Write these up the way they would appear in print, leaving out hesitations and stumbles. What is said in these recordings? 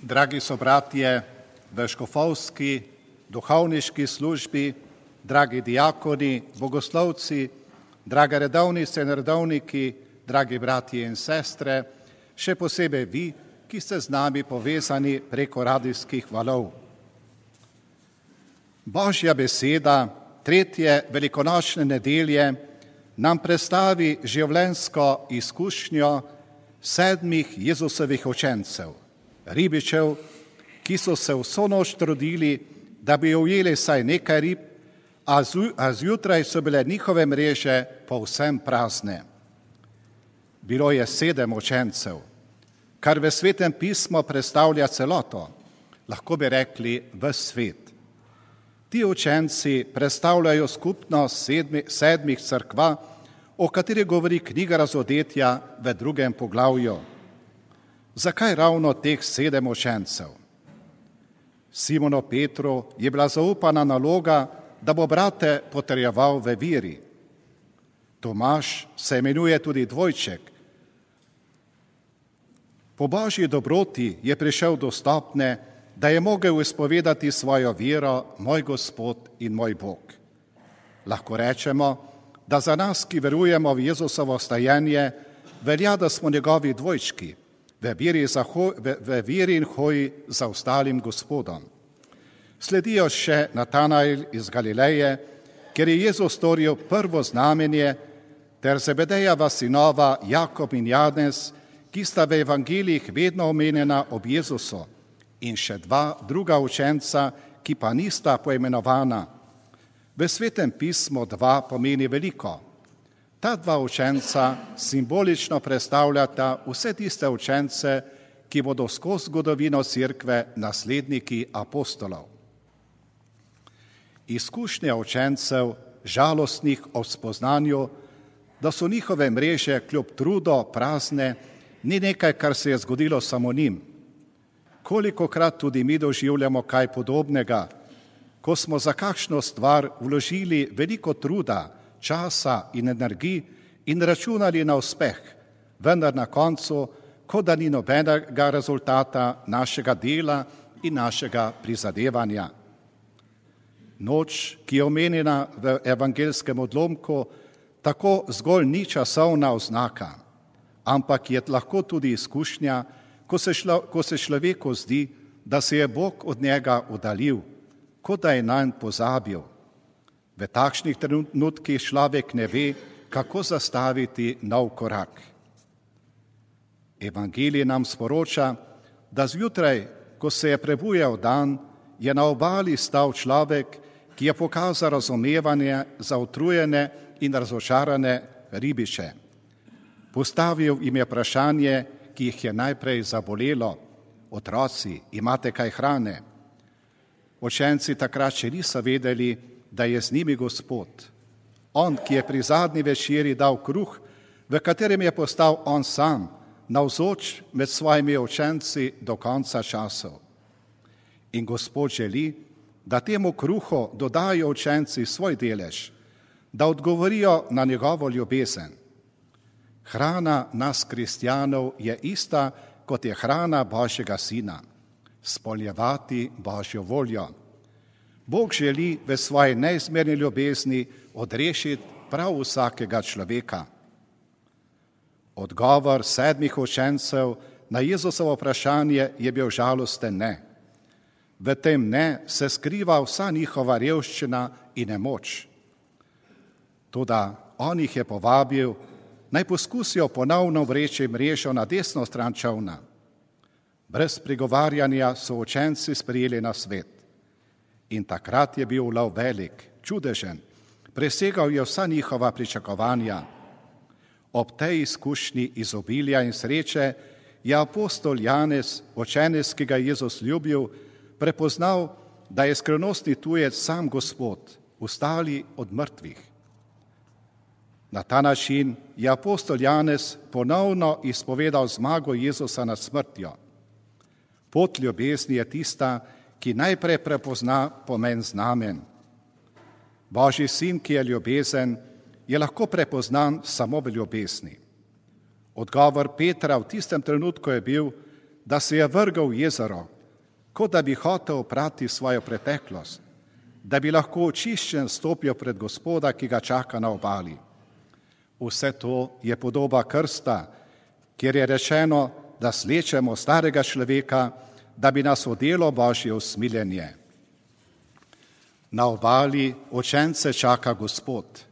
Dragi sobratje v škofovski, duhovniški službi, dragi diakoni, bogoslovci, drage redovnice in redovniki, dragi bratje in sestre, še posebej vi, ki ste z nami povezani preko radijskih valov. Božja beseda tretje velikonočne nedelje nam predstavi življenjsko izkušnjo 7 Jezusovih učencev, ribičev, ki so se vso noč trudili, da bi ujeli vsaj nekaj rib, a zjutraj so bile njihove mreže povsem prazne. Bilo je 7 učencev, kar v Svetem pismu predstavlja celoto, lahko bi rekli ves svet. Ti učenci predstavljajo skupnost 7 cerkva, o kateri govori knjiga Razodetja v 2. poglavju. Zakaj ravno teh 7 učencev? Simonu Petru je bila zaupana naloga, da bo brate potrjeval v veri. Tomaž se imenuje tudi dvojček. Po Božji dobroti je prišel do stopnje, da je mogel izpovedati svojo vero, moj Gospod in moj Bog. Lahko rečemo, da za nas, ki verujemo v Jezusovo stajenje, velja, da smo njegovi dvojčki, v veri in hoji za ostalim Gospodom. Sledijo še Natanael iz Galileje, kjer je Jezus storil prvo znamenje, ter Zebedejeva sinova Jakob in Janez, ki sta v evangelijih vedno omenjena ob Jezusu, in še 2 druga učenca, ki pa nista poimenovana. V Svetem pismu 2 pomeni veliko. Ta 2 učenca simbolično predstavljata vse tiste učence, ki bodo skozi zgodovino Cerkve nasledniki apostolov. Izkušnja učencev, žalostnih ob spoznanju, da so njihove mreže kljub trudu prazne, ni nekaj, kar se je zgodilo samo njim. Kolikokrat tudi mi doživljamo kaj podobnega, ko smo za kakšno stvar vložili veliko truda, časa in energij in računali na uspeh, vendar na koncu, kot da ni nobenega rezultata našega dela in našega prizadevanja. Noč, ki je omenjena v evangeljskem odlomku, tako zgolj ni časovna oznaka, ampak je lahko tudi izkušnja, ko se človeku zdi, da se je Bog od njega oddaljil, kot da je nanj pozabil. V takšnih trenutkih človek ne ve, kako zastaviti nov korak. Evangelij nam sporoča, da zjutraj, ko se je prebujal dan, je na obali stal človek, ki je pokazal razumevanje za utrujene in razočarane ribiče. Postavil jim je vprašanje, ki jih je najprej zabolelo: otroci, imate kaj hrane? Učenci takrat še niso vedeli, da je z njimi Gospod. On, ki je pri zadnji večeri dal kruh, v katerem je postal on sam, navzoč med svojimi učenci do konca časov. In Gospod želi, da temu kruhu dodajo učenci svoj delež, da odgovorijo na njegovo ljubezen. Hrana nas kristjanov je ista, kot je hrana Božjega Sina, izpolnjevati Božjo voljo. Bog želi v svoji neizmerni ljubezni odrešiti prav vsakega človeka. Odgovor 7 učencev na Jezusovo vprašanje je bil žalosten ne. V tem ne se skriva vsa njihova revščina in nemoč. Toda on jih je povabil, naj poskusijo ponovno vreči mrežo na desno stran čolna. Brez prigovarjanja so učenci sprejeli nasvet. In takrat je bil ulov velik, čudežen, presegal je vsa njihova pričakovanja. Ob tej izkušnji izobilja in sreče je apostol Janez, učenec, ki ga je Jezus ljubil, prepoznal, da je skrivnostni tujec sam Gospod, vstali od mrtvih. Na ta način je apostol Janez ponovno izpovedal zmago Jezusa nad smrtjo. Pot ljubezni je tista, ki najprej prepozna pomen znamen. Božji sin, ki je ljubezen, je lahko prepoznan samo v ljubezni. Odgovor Petra v tistem trenutku je bil, da se je vrgal v jezero, kot da bi hotel oprati svojo preteklost, da bi lahko očiščen stopil pred Gospoda, ki ga čaka na obali. Vse to je podoba krsta, kjer je rečeno, da slečemo starega človeka, da bi nas odelo Božje usmiljenje. Na obali učence čaka Gospod,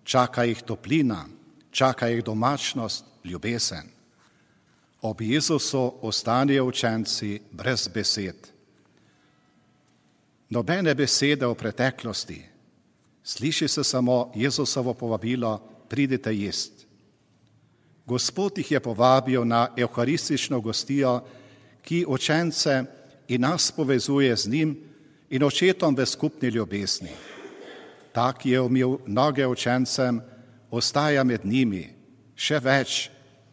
čaka jih toplina, čaka jih domačnost, ljubezen. Ob Jezusu ostanejo učenci brez besed. Nobene besede o preteklosti. Sliši se samo Jezusovo povabilo, pridite jest. Gospod jih je povabil na evharistično gostijo, ki učence in nas povezuje z njim in očetom v skupni ljubezni. Ta, ki je umil noge učencem, ostaja med njimi. Še več,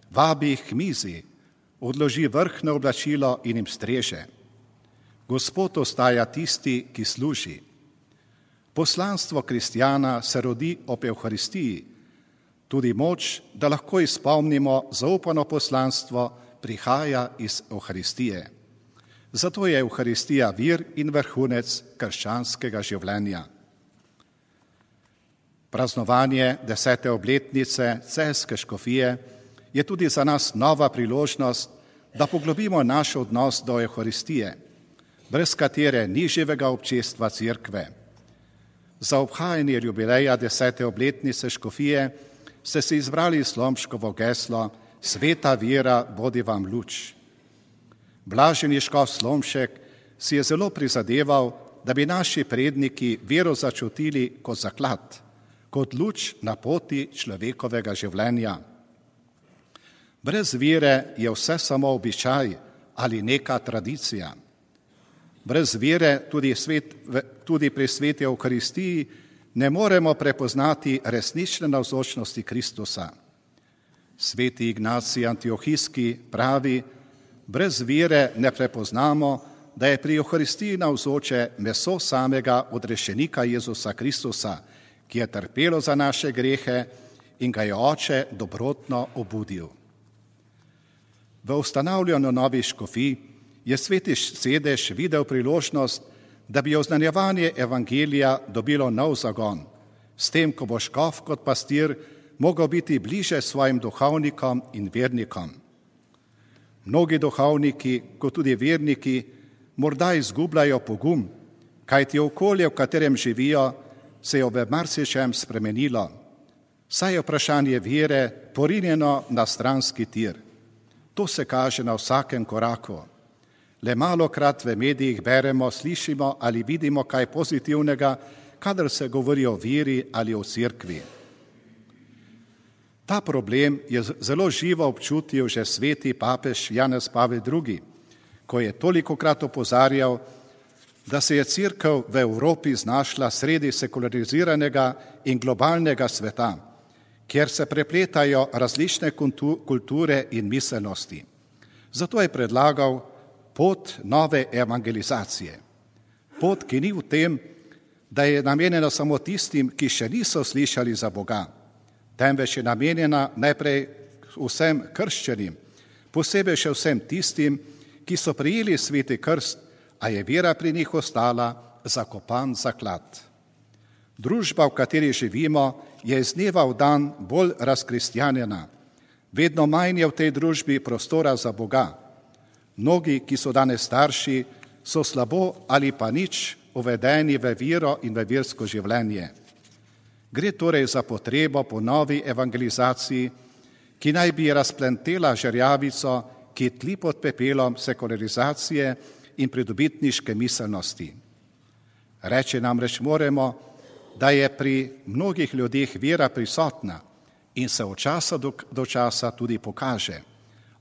vabi jih k mizi, odloži vrhno oblačilo in jim streže. Gospod ostaja tisti, ki služi. Poslanstvo kristjana se rodi ob evharistiji. Tudi moč, da lahko izpolnimo zaupano poslanstvo, prihaja iz evharistije. Zato je evharistija vir in vrhunec krščanskega življenja. Praznovanje 10. obletnice Celjske škofije je tudi za nas nova priložnost, da poglobimo naš odnos do evharistije, brez katere ni živega občestva Cerkve. Za obhajanje jubileja 10. obletnice škofije ste si izbrali Slomškovo geslo Sveta vera, bodi vam luč. Blaženi škof Slomšek si je zelo prizadeval, da bi naši predniki vero začutili kot zaklad, kot luč na poti človekovega življenja. Brez vere je vse samo običaj ali neka tradicija. Brez vere tudi pri sveti evharistiji ne moremo prepoznati resnične navzočnosti Kristusa. Sveti Ignacij Antiohijski pravi, brez vere ne prepoznamo, da je pri evharistiji navzoče meso samega odrešenika Jezusa Kristusa, ki je trpelo za naše grehe in ga je Oče dobrotno obudil. V ustanavljanju novih škofij je sveti sedež videl priložnost, da bi oznanjevanje evangelija dobilo nov zagon, s tem, ko bo škof kot pastir mogel biti bliže svojim duhovnikom in vernikom. Mnogi duhovniki, kot tudi verniki, morda izgubljajo pogum, kajti okolje, v katerem živijo, se je v marsičem spremenilo. Saj je vprašanje vere porinjeno na stranski tir. To se kaže na vsakem koraku. Le malokrat v medijih beremo, slišimo ali vidimo kaj pozitivnega, kadar se govori o veri ali o Cerkvi. Ta problem je zelo živo občutil že sveti papež Janez Pavel II., ko je tolikokrat opozarjal, da se je Cerkev v Evropi znašla sredi sekulariziranega in globalnega sveta, kjer se prepletajo različne kulture in miselnosti. Zato je predlagal pot nove evangelizacije. Pot, ki ni v tem, da je namenjena samo tistim, ki še niso slišali za Boga, temveč je namenjena najprej vsem krščanim, posebej še vsem tistim, ki so prijeli sveti krst, a je vera pri njih ostala zakopan zaklad. Družba, v kateri živimo, je iz dneva v dan bolj razkristjanjena. Vedno manj je v tej družbi prostora za Boga. Mnogi, ki so danes starši, so slabo ali pa nič uvedeni v vero in v versko življenje. Gre torej za potrebo po novi evangelizaciji, ki naj bi razplentela žerjavico, ki tli pod pepelom sekularizacije in pridobitniške miselnosti. Reči namreč moremo, da je pri mnogih ljudeh vera prisotna in se od časa do časa tudi pokaže.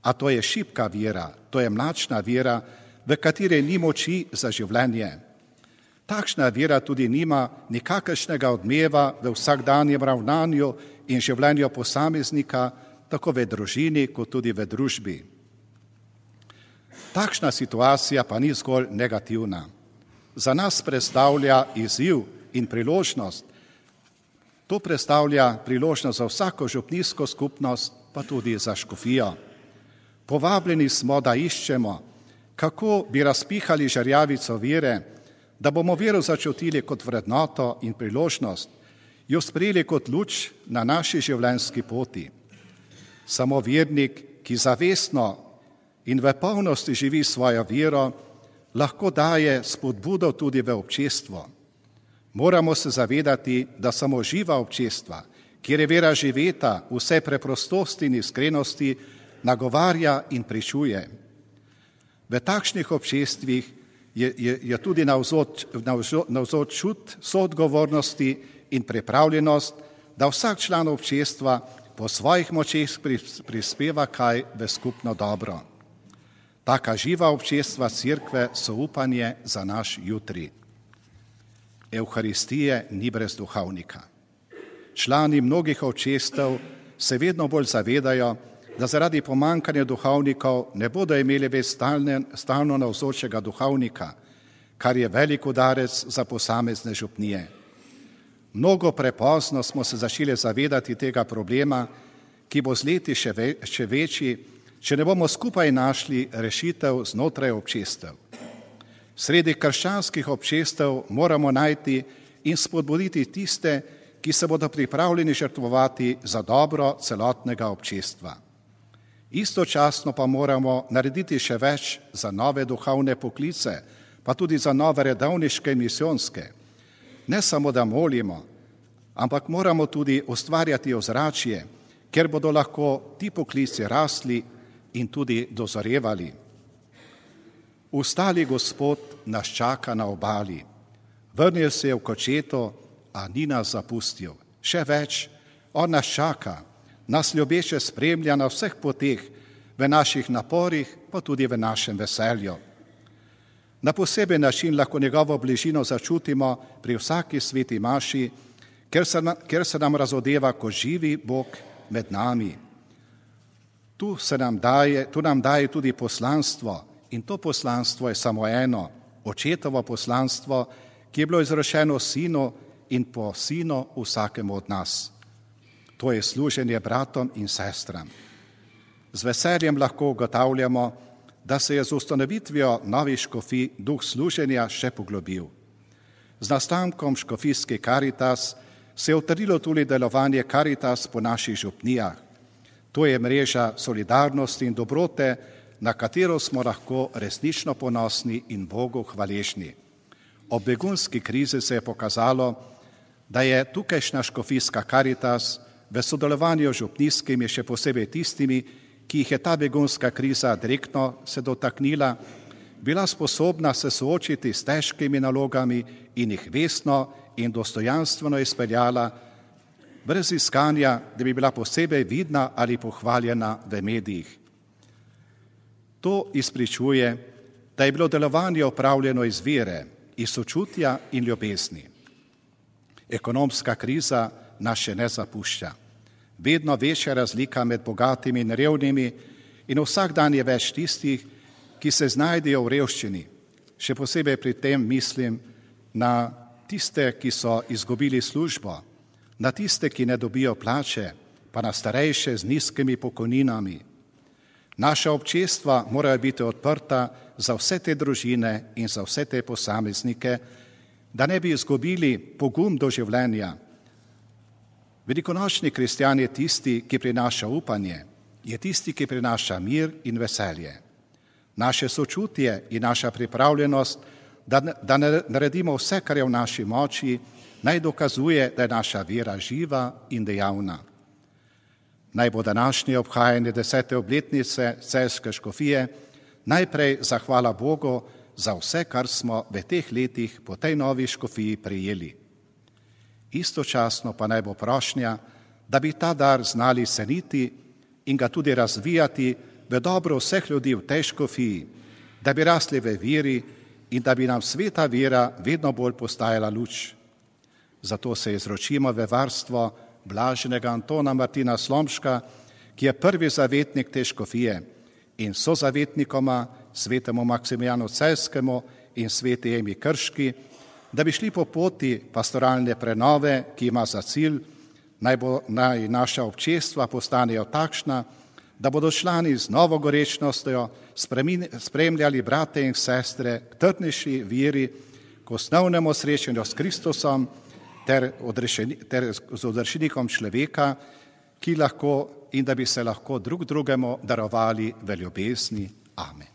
A to je šibka vera, to je mlačna vera, v kateri ni moči za življenje. Takšna vera tudi nima nikakršnega odmeva v vsakdanjem ravnanju in življenju posameznika, tako v družini kot tudi v družbi. Takšna situacija pa ni zgolj negativna. Za nas predstavlja izziv in priložnost. To predstavlja priložnost za vsako župnijsko skupnost, pa tudi za škofijo. Povabljeni smo, da iščemo, kako bi razpihali žarjavico vere, da bomo vero začutili kot vrednoto in priložnost, jo sprejeli kot luč na naši življenjski poti. Samo vernik, ki zavestno in v polnosti živi svojo vero, lahko daje spodbudo tudi v občestvo. Moramo se zavedati, da samo živa občestva, kjer je vera živeta, vse preprostosti in iskrenosti, nagovarja in pričuje. V takšnih občestvih je tudi navzoč čut soodgovornosti in pripravljenost, da vsak član občestva po svojih močeh prispeva kaj v skupno dobro. Taka živa občestva Cerkve so upanje za naš jutri. Evharistije ni brez duhovnika. Člani mnogih občestev se vedno bolj zavedajo, da zaradi pomankanja duhovnikov ne bodo imeli več stalno navzočega duhovnika, kar je velik udarec za posamezne župnije. Mnogo prepozno smo se začeli zavedati tega problema, ki bo z leti še večji, če ne bomo skupaj našli rešitev znotraj občestev. Sredi krščanskih občestev moramo najti in spodbuditi tiste, ki se bodo pripravljeni žrtvovati za dobro celotnega občestva. Istočasno pa moramo narediti še več za nove duhovne poklice, pa tudi za nove redovniške in misijonske. Ne samo, da molimo, ampak moramo tudi ustvarjati ozračje, kjer bodo lahko ti poklici rasli in tudi dozorevali. Ustali Gospod nas čaka na obali. Vrnil se je v kočeto, a ni nas zapustil. Še več, on nas čaka, nas ljubeče spremlja na vseh poteh, v naših naporih, pa tudi v našem veselju. Na poseben način lahko njegovo bližino začutimo pri vsaki sveti maši, ker se nam razodeva kot živi Bog med nami. Tu nam daje tudi poslanstvo, in to poslanstvo je samo eno, očetovo poslanstvo, ki je bilo izrečeno sinu in po sinu vsakemu od nas. To je služenje bratom in sestram. Z veseljem lahko ugotavljamo, da se je z ustanovitvijo novih škofij duh služenja še poglobil. Z nastankom škofijske Karitas se je utrdilo tudi delovanje Karitas po naših župnijah. To je mreža solidarnosti in dobrote, na katero smo lahko resnično ponosni in Bogu hvaležni. Ob begunski krizi se je pokazalo, da je tukajšnja škofijska Karitas v sodelovanju z župnijskimi, še posebej tistimi, ki jih je ta begunska kriza direktno se dotaknila, bila sposobna se soočiti s težkimi nalogami in jih vestno in dostojanstveno izpeljala, brez iskanja, da bi bila posebej vidna ali pohvaljena v medijih. To izpričuje, da je bilo delovanje opravljeno iz vere, iz sočutja in ljubezni. Ekonomska kriza nas še ne zapušča. Vedno večja razlika med bogatimi in revnimi in vsak dan je več tistih, ki se znajdejo v revščini. Še posebej pri tem mislim na tiste, ki so izgubili službo, na tiste, ki ne dobijo plače, pa na starejše z nizkimi pokojninami. Naša občestva morajo biti odprta za vse te družine in za vse te posameznike, da ne bi izgubili pogum do življenja. Velikonočni kristjan je tisti, ki prinaša upanje, je tisti, ki prinaša mir in veselje. Naše sočutje in naša pripravljenost, da naredimo vse, kar je v naši moči, naj dokazuje, da je naša vera živa in dejavna. Naj bo današnje obhajanje 10. obletnice Celjske škofije najprej zahvala Bogu za vse, kar smo v teh letih po tej novi škofiji prejeli. Istočasno pa naj bo prošnja, da bi ta dar znali ceniti in ga tudi razvijati v dobro vseh ljudi v tej škofiji, da bi rasli v veri in da bi nam sveta vera vedno bolj postajala luč. Zato se izročimo v varstvo blaženega Antona Martina Slomška, ki je prvi zavetnik te škofije, in sozavetnikoma svetemu Maksimiljanu Celjskemu in sveti Emi Krški, da bi šli po poti pastoralne prenove, ki ima za cilj, naj naša občestva postanejo takšna, da bodo člani z novo gorečnostjo spremljali brate in sestre k trdnejši veri, k osnovnemu srečanju s Kristusom ter z odrešenikom človeka, ki lahko in da bi se lahko drug drugemu darovali v ljubezni. Amen.